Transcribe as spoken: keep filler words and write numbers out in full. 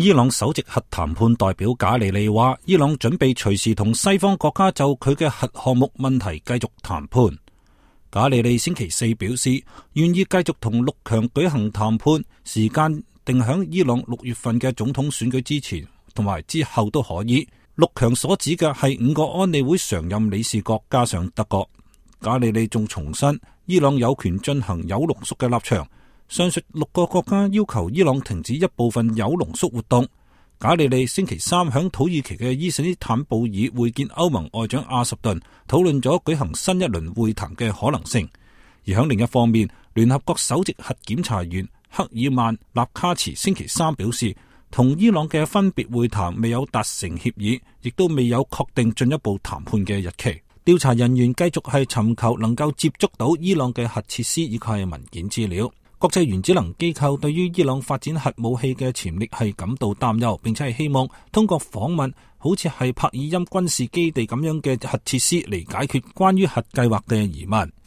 伊朗首席核談判代表賈里利話，伊朗準備隨時同西方國家就佢嘅核項目問題繼續談判。賈里利星期四表示，願意繼續同六強舉行談判，時間定響伊朗六月份嘅總統選舉之前同埋之後都可以。六強所指嘅係五個安理會常任理事國加上德國。賈里利仲重申，伊朗有權進行鈾濃縮嘅立場。上述六個國家要求伊朗停止一部分鈾濃縮活動。賈里利星期三響土耳其嘅伊斯坦布爾會見歐盟外長阿什頓，討論咗舉行新一輪會談嘅可能性。而響另一方面，聯合國首席核檢查員克爾曼納卡茨星期三表示，同伊朗嘅分別會談未有達成協議，亦都未有確定進一步談判嘅日期。調查人員繼續係尋求能夠接觸到伊朗嘅核設施以及係文件資料。國際原子能機構對於伊朗發展核武器嘅潛力係感到擔憂，並且係希望通過訪問好似係帕爾欽軍事基地咁樣嘅核設施嚟解決關於核計劃嘅疑問。